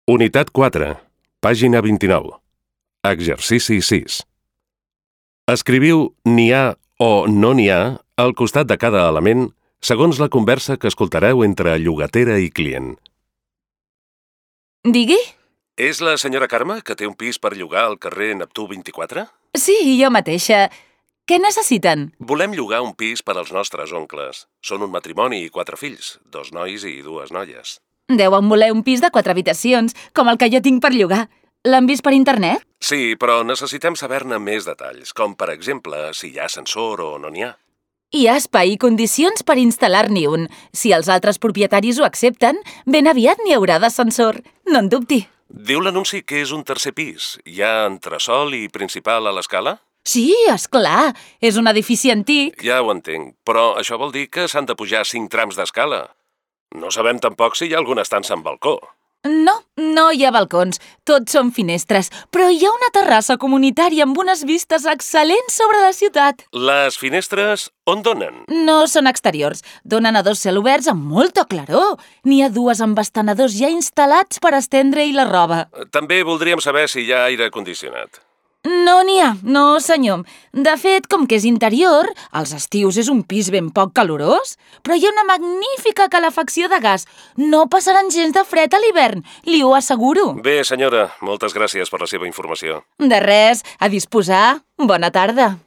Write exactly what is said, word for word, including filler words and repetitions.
Unitat quatre, pàgina vint-i-nou. Exercici sis. Escriviu n'hi ha o no n'hi ha al costat de cada element segons la conversa que escoltareu entre llogatera i client. Digui? És la senyora Carme, que té un pis per llogar al carrer Neptú vint-i-quatre? Sí, jo mateixa. Què necessiten? Volem llogar un pis per als nostres oncles. Són un matrimoni i quatre fills, dos nois i dues noies. Deuen voler un pis de quatre habitacions, com el que jo tinc per llogar. L'han vist per internet? Sí, però necessitem saber-ne més detalls, com per exemple si hi ha ascensor o no n'hi ha. Hi ha espai i condicions per instal·lar-n'hi un. Si els altres propietaris ho accepten, ben aviat n'hi haurà d'ascensor. No en dubti. Diu l'anunci que és un tercer pis. Hi ha entresòl i principal a l'escala? Sí, és clar. És un edifici antic. Ja ho entenc, però això vol dir que s'han de pujar cinc trams d'escala. No sabem tampoc si hi ha alguna estança amb balcó. No, no hi ha balcons. Tots són finestres. Però hi ha una terrassa comunitària amb unes vistes excel·lents sobre la ciutat. Les finestres on donen? No són exteriors. Donen a dos celoberts amb molta claror. N'hi ha dues amb estenedors ja instal·lats per estendre-hi la roba. També voldríem saber si hi ha aire condicionat. No n'hi ha, no senyor. De fet, com que és interior, als estius és un pis ben poc calorós, però hi ha una magnífica calefacció de gas. No passaran gens de fred a l'hivern, li ho asseguro. Bé, senyora, moltes gràcies per la seva informació. De res, a disposar. Bona tarda.